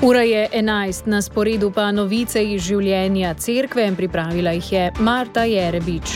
Ura je 11, na sporedu pa novice iz življenja cerkve, pripravila jih je Marta Jerebič.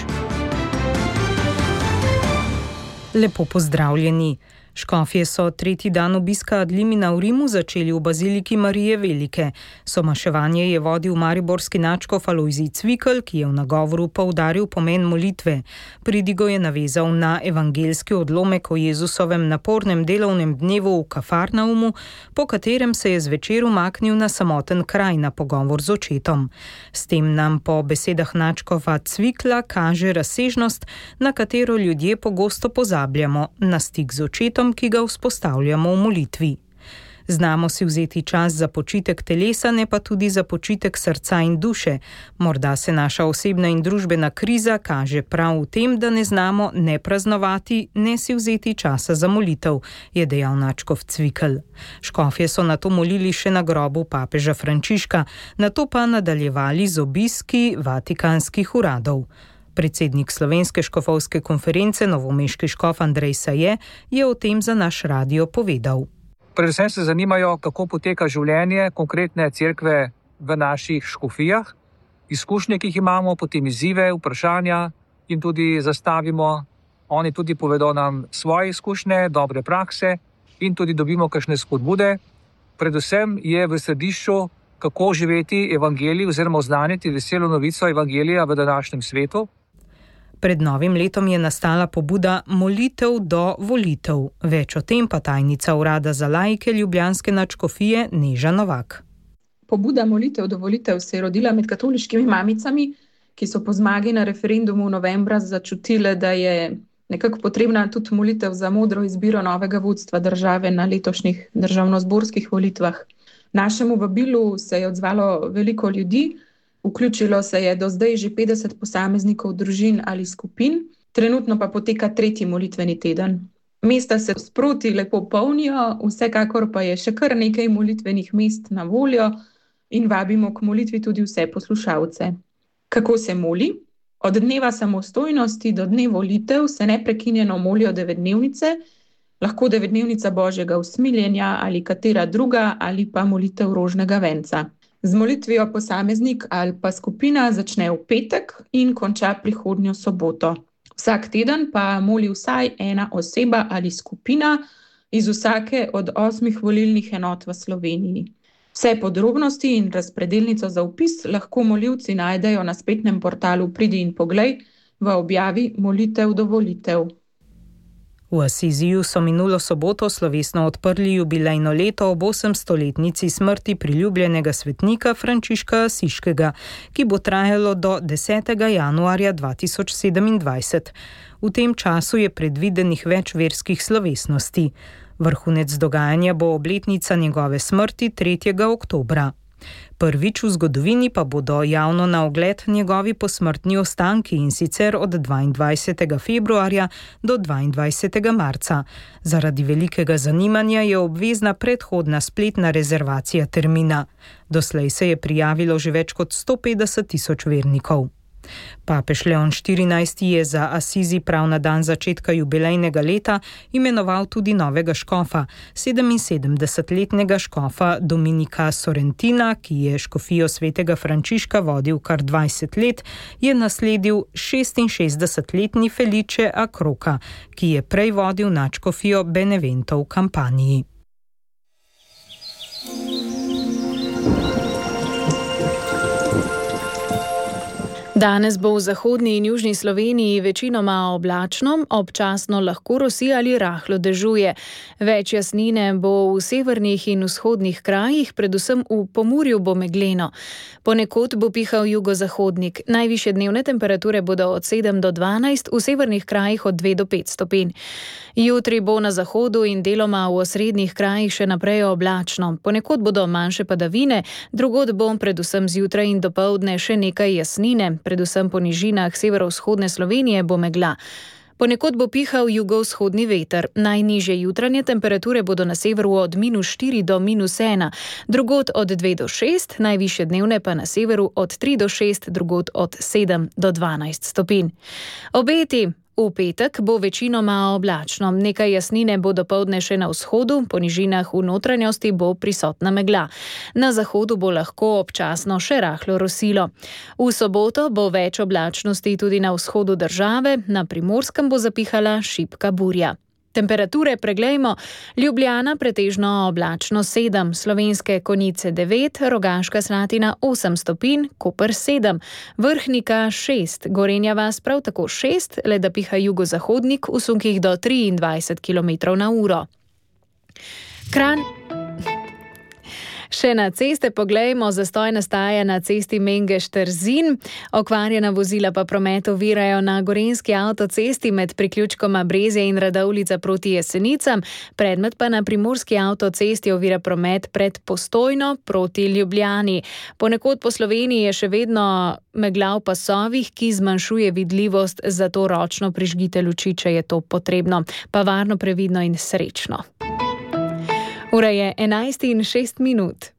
Lepo pozdravljeni. Škofje so tretji dan obiska ad limina v Rimu začeli v baziliki Marije Velike. Somaševanje je vodil mariborski nadškof Alojzij Cvikl, ki je v nagovoru poudaril pomen molitve. Pridigo je navezal na evangeljski odlomek o Jezusovem napornem delovnem dnevu v Kafarnaumu, po katerem se je zvečer umaknil na samoten kraj na pogovor z očetom. S tem nam po besedah nadškofa Cvikla kaže razsežnost, na katero ljudje pogosto pozabljamo, na stik z očetom, ki ga vzpostavljamo v molitvi. Znamo si vzeti čas za počitek telesa, ne pa tudi za počitek srca in duše. Morda se naša osebna in družbena kriza kaže prav v tem, da ne znamo ne praznovati, ne si vzeti časa za molitev, je dejal nadškof Cvikl. Škofje so nato molili še na grobu papeža Frančiška, nato pa nadaljevali z obiski vatikanskih uradov. Predsednik Slovenske škofovske konference, novomeški škof Andrej Saje, je o tem za naš radio povedal. Predvsem se zanimajo, kako poteka življenje konkretne cerkve v naših škofijah, izkušnje, ki jih imamo, potem izzive, vprašanja in tudi zastavimo. Oni tudi povedo nam svoje izkušnje, dobre prakse in tudi dobimo kakšne spodbude. Predvsem je v središču, kako živeti evangelij oziroma oznaniti veselo novico evangelija v današnjem svetu. Pred novim letom je nastala pobuda Molitev do volitev. Več o tem pa tajnica urada za laike ljubljanske nadškofije Neža Novak. Pobuda Molitev do volitev se je rodila med katoliškimi mamicami, ki so po zmagi na referendumu novembra začutile, da je nekako potrebna tudi molitev za modro izbiro novega vodstva države na letošnjih državnozborskih volitvah. Našemu vabilu se je odzvalo veliko ljudi, vključilo se je do zdaj že 50 posameznikov družin ali skupin, trenutno pa poteka tretji molitveni teden. Mesta se sproti lepo polnijo, vsekakor pa je še kar nekaj molitvenih mest na voljo in vabimo k molitvi tudi vse poslušalce. Kako se moli? Od dneva samostojnosti do dne volitev se neprekinjeno molijo 9-dnevnice, lahko 9-dnevnica Božjega usmiljenja ali katera druga ali pa molitev rožnega venca. Z molitvijo posameznik ali pa skupina začne v petek in konča prihodnjo soboto. Vsak teden pa moli vsaj ena oseba ali skupina iz vsake od 8 volilnih enot v Sloveniji. Vse podrobnosti in razpredelnico za vpis lahko molivci najdejo na spletnem portalu Pridi in poglej v objavi Molitev do volitev. V Asiziju so minulo soboto slovesno odprli jubilejno leto ob 800-letnici smrti priljubljenega svetnika Frančiška Asiškega, ki bo trajalo do 10. januarja 2027. V tem času je predvidenih več verskih slovesnosti. Vrhunec dogajanja bo obletnica njegove smrti 3. oktobra. Prvič v zgodovini pa bodo javno na ogled njegovi posmrtni ostanki, in sicer od 22. februarja do 22. marca. Zaradi velikega zanimanja je obvezna predhodna spletna rezervacija termina. Doslej se je prijavilo že več kot 150.000 vernikov. Papež Leon XIV je za Asizi prav na dan začetka jubilejnega leta imenoval tudi novega škofa, 77-letnega škofa Dominika Sorrentina, ki je škofijo svetega Frančiška vodil kar 20 let, je nasledil 66-letni Felice Akroka, ki je prej vodil nadškofijo Benevento v Kampaniji. Danes bo v zahodni in južni Sloveniji večinoma oblačno, občasno lahko rosi ali rahlo dežuje. Več jasnine bo v severnih in vzhodnih krajih, predvsem v Pomurju bo megleno. Ponekod bo pihal jugozahodnik. Najvišje dnevne temperature bodo od 7 do 12, v severnih krajih od 2 do 5 stopinj. Jutri bo na zahodu in deloma v osrednjih krajih še naprej oblačno. Ponekod bodo manjše padavine, drugod bo predvsem zjutraj in dopoldne še nekaj jasnine. Predvsem po nižinah severovzhodne Slovenije bo megla. Ponekod bo pihal jugovzhodni veter. Najnižje jutranje temperature bodo na severu od -4 do -1, drugod od 2 do 6, najvišje dnevne pa na severu od 3 do 6, drugod od 7 do 12 stopinj. Obeti V petek bo večinoma oblačno, nekaj jasnine bo dopoldne še na vzhodu, po nižinah v notranjosti bo prisotna megla. Na zahodu bo lahko občasno še rahlo rosilo. V soboto bo več oblačnosti tudi na vzhodu države, na Primorskem bo zapihala šibka burja. Temperature preglejmo: Ljubljana pretežno oblačno 7, Slovenske Konjice 9, Rogaška Slatina 8 stopinj, Koper 7, Vrhnika 6, Gorenja vas prav tako 6, le da piha jugozahodnik v sunkih do 23 km/h. Kranj. Še na ceste poglejmo, zastoj nastaja na cesti Mengeš-Trzin, okvarjena vozila pa promet ovirajo na Gorenjski avtocesti med priključkoma Brezje in Radovljica proti Jesenicam, predmet pa na Primorski avtocesti ovira promet pred Postojno proti Ljubljani. Ponekod po Sloveniji je še vedno megla v pasovih, ki zmanjšuje vidljivost, zato ročno prižgite luči, če je to potrebno. Pa varno, previdno in srečno. Ura je 11:06.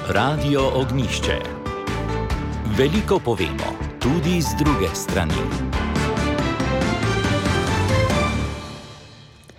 Radio Ognjišče. Veliko povemo, tudi z druge strani.